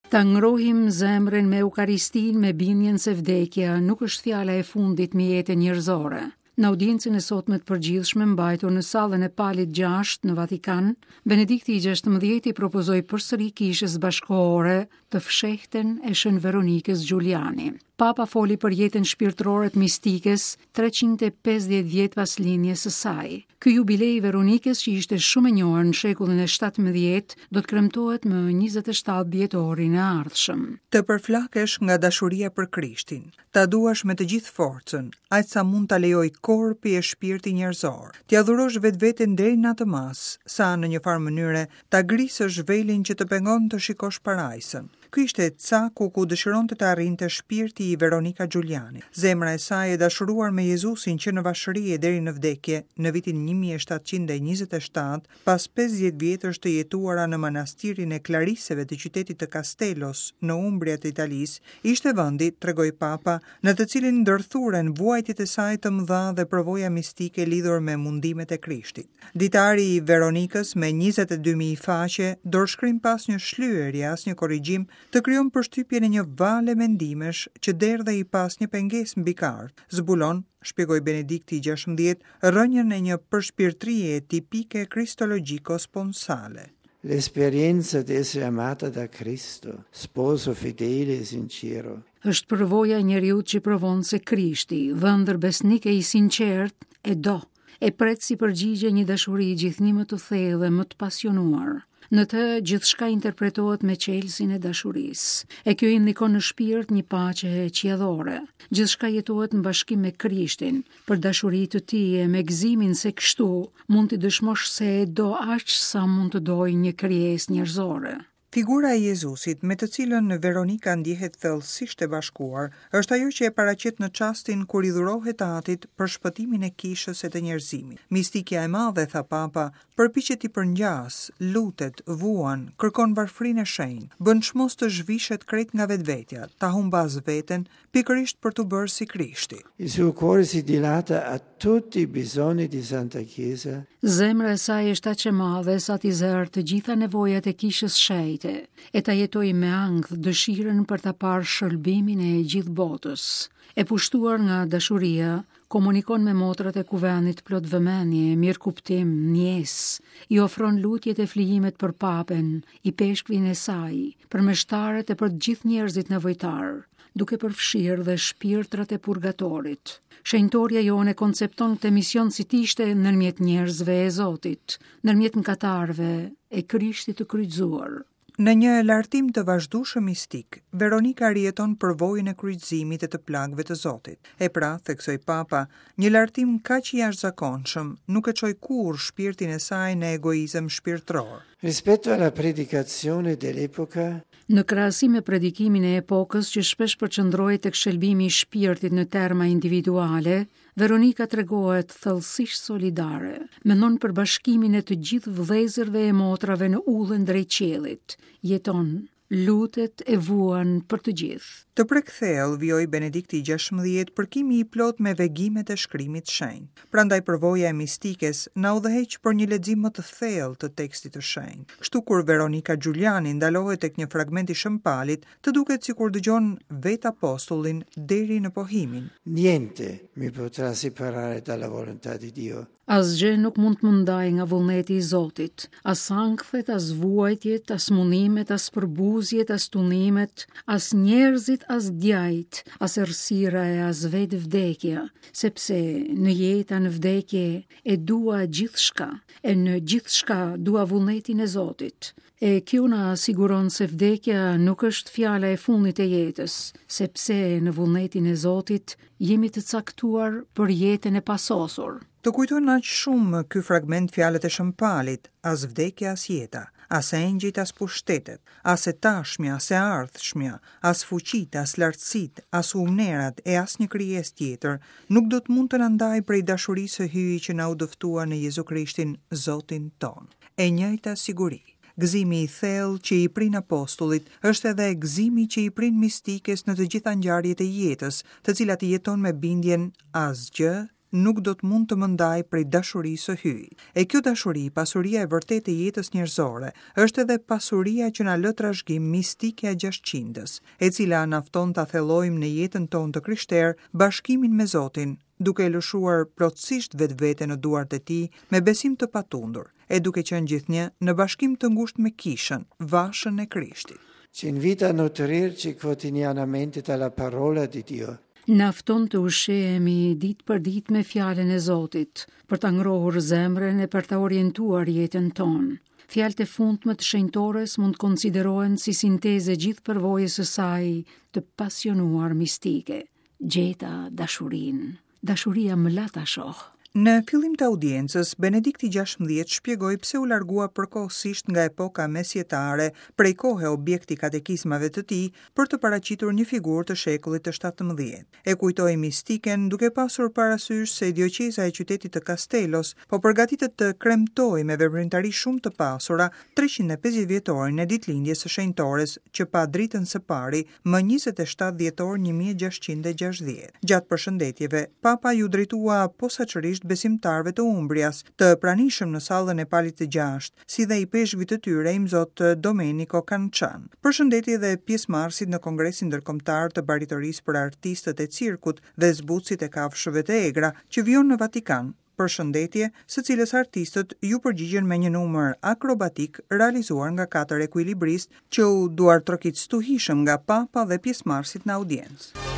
Ta ngrohim zemrën me Eukaristinë me bindjen se vdekja nuk është fjala e fundit mbi jetën njerëzore. Në audiencën e sotme të përgjithshme mbajtur në sallën e Palit 6 në Vatikan, Benedikti i XVI i propozoi përsëri kishës bashkëkohore të fshehtën e Shën Veronikës Giuliani. Papa foli për jetën shpirtërore të mistikes 350 vjet pas lindjes së saj. Ky jubile i Veronikës që ishte shumë e njohur në shekullin e 17, do të kremtohet më 27 dhjetorin e ardhshëm. Të përflakesh nga dashuria për Krishtin, ta duash me të gjithë forcën, aq sa mund ta lejojë korpi e shpirti njerëzor, t'ia dhurosh vetveten deri në atë masë, sa në një farë mënyre ta grisësh velin që të pengon të shikosh parajsën. Ky ishte caku ku dëshironte të arrinte shpirti i Veronika Giulianit. Zemra e saj e dashuruar me Jezusin që në vashëri e deri në vdekje, në vitin 1727, pas 50 vjetësh të jetuara në manastirin e Klariseve të qytetit të Castellos në Umbria të Italisë, ishte vendi, tregoi Papa, në të cilin ndërthuren vuajtjet e saj të mëdha dhe përvoja mistike lidhur me mundimet e Krishtit. Ditari i Veronikës me 22.000 faqe, dorëshkrim pa asnjë shlyerje, asnjë korrigjim, të krijon përshtypjen e një vale mendimesh që derdhej pa asnjë pengesë mbi kartë, zbulon, shpjegoi Benedikti i 16, rrënjën e një përshpirtrie tipike kristologjiko-sponsale. L'esperienza di essere amata da Cristo, sposo fedele e sincero. Është përvoja e njeriut që provon se Krishti, dhëndër besnik e i sinqertë, e do, e pret si përgjigje një dashuri gjithnjë më të thellë dhe më të pasionuar. Në të gjithçka interpretohet me çelësin e dashurisë, e kjo i ndikon në shpirt një paqe qiellore. Gjithçka jetohet në bashkim me Krishtin, për dashuri të tij e me gëzimin se kështu mund t'i dëshmosh se e do aq sa mund të dojë një krijesë njerëzore. Figura e Jezusit, me të cilën Veronika ndjehet thellësisht e bashkuar, është ajo që e paraqet në çastin kur i dhurohet Atit për shpëtimin e kishës e të njerëzimit. Mistikja e madhe, tha Papa, përpiqet t'i përngjasë, lutet, vuan, kërkon varfërinë e shenjtë, bën çmos të zhvishet krejt nga vetvetja, ta humbasë veten, pikërisht për t'u bërë si Krishti. Il suo cuore si dilata a tutti i bisogni di Santa Chiesa. Zemra e saj është aq e madhe sa t'i zërë të gjitha nevojat e kishës shenjte, e ta jetojë me ankth dëshirën për ta parë shëlbimin e gjithë botës. E pushtuar nga dashuria, komunikon me motrat e kuvendit plot vëmendje, mirëkuptim, ndjesë, i ofron lutjet e flijimet për papen, ipeshkvin e saj, për meshtarët e për të gjithë njerëzit nevojtarë, duke përfshirë dhe shpirtrat e purgatorit. Shenjtorja jonë e koncepton këtë mision si të ishte ndërmjet njerëzve e Zotit, ndërmjet mëkatarëve e Krishtit të kryqëzuar. Në një lartim të vazhdueshëm mistik, Veronika rijeton përvojën e kryqëzimit e të plagëve të Zotit. E pra, theksoi Papa, një lartim kaq i jashtëzakonshëm nuk e çoi kurrë shpirtin e saj në egoizëm shpirtëror. Rispetto alla predicazione dell'epoca, Në krahasim me predikimin e epokës që shpesh përqendrohej tek shëlbimi i shpirtit në terma individuale, Veronika tregohet thellësisht solidare, mendon për bashkimin e të gjithë vëllezërve e motrave në udhën drejt qiellit, jeton, lutet e vuan për të gjithë. Të prek thellë, vijoi Benedikti i XVI, përkimi i plotë me vegimet e shkrimit të shenjtë. Prandaj përvoja e mistikes na udhëheq për një lexim më të thellë të tekstit të shenjtë. Kështu kur Veronika Giuliani ndalohet tek një fragment i Shën Palit, të duket sikur dëgjon vetë apostullin deri në pohimin. Niente mi potrà separare dalla volontà di Dio. Asgjë nuk mund të më ndajë nga vullneti i Zotit, as ankthet, as vuajtjet, as mundimet, as përbuzjet, as tundimet, as njerëzit, as djajtë, as errësira e as vetë vdekja, sepse në jetë a në vdekje e dua gjithçka, e në gjithçka dua vullnetin e Zotit. E kjo na siguron se vdekja nuk është fjala e fundit e jetës, sepse në vullnetin e Zotit jemi të caktuar për jetën e pasosur. Të kujton aq shumë ky fragment fjalët e Shën Palit, as vdekja as jeta, as engjëjt as pushtetet, as e tashmja as e ardhshmja, as fuqitë, as lartësitë, as humnerat e asnjë krijesë tjetër, nuk do të mund të na ndajë prej dashurisë së Hyjit që na u dëftua në Jezu Krishtin, Zotin tonë. E njëjta siguri. Gëzimi i thellë që i prin apostullit është edhe gëzimi që i prin mistikes në të gjitha ngjarjet e jetës, të cilat i jeton me bindjen asgjë nuk do të mund të më ndajë prej dashurisë së Hyjit. E kjo dashuri, pasuria e vërtetë e jetës njerëzore, është edhe pasuria që na lë trashëgim mistikja e gjashtëqindës, e cila na fton ta thellojmë në jetën tonë të krishterë bashkimin me Zotin, duke e lëshuar plotësisht vetveten në duart e Tij me besim të patundur, e duke qenë gjithnjë në bashkim të ngushtë me Kishën, vashën e Krishtit. Ci invita a nutrirci quotidianamente dalla parola di Dio. Na fton të ushqehemi ditë për ditë me fjalën e Zotit, për ta ngrohur zemrën e për ta orientuar jetën tonë. Fjalët e fundme të shenjtores mund të konsiderohen si sintezë e gjithë përvojës së saj të pasionuar mistike. Gjeta dashurinë. Dashuria më la ta shoh. Në fillim të audiencës, Benedikti 16 shpjegoi pse u largua përkohësisht nga epoka mesjetare, prej kohe objekt i katekizmave të tij, për të paraqitur një figurë të shekullit të 17. E kujtoi mistiken duke pasur parasysh se dioqeza e qytetit të Castellos po përgatitet të kremtojë me veprimtari shumë të pasura 350 vjetorin e ditëlindjes së shenjtores që pa dritën së pari më 27 dhjetor 1660. Gjatë përshëndetjeve, Papa iu drejtua posaçërisht besimtarëve të Umbrias, të pranishëm në sallën e Palit të Gjashtë, si dhe ipeshkvit të tyre Imzot Domenico Cancian. Përshëndeti edhe pjesëmarrësit në Kongresin Ndërkombëtar të Baritorisë për Artistët e Cirkut dhe Zbutësit e Kafshëve të Egra, që vijon në Vatikan, përshëndetje, së cilës artistët iu përgjigjën me një numër akrobatik realizuar nga katër ekuilibristë që u duartrokit stuhishëm nga Papa dhe pjesëmarrësit në audiencë.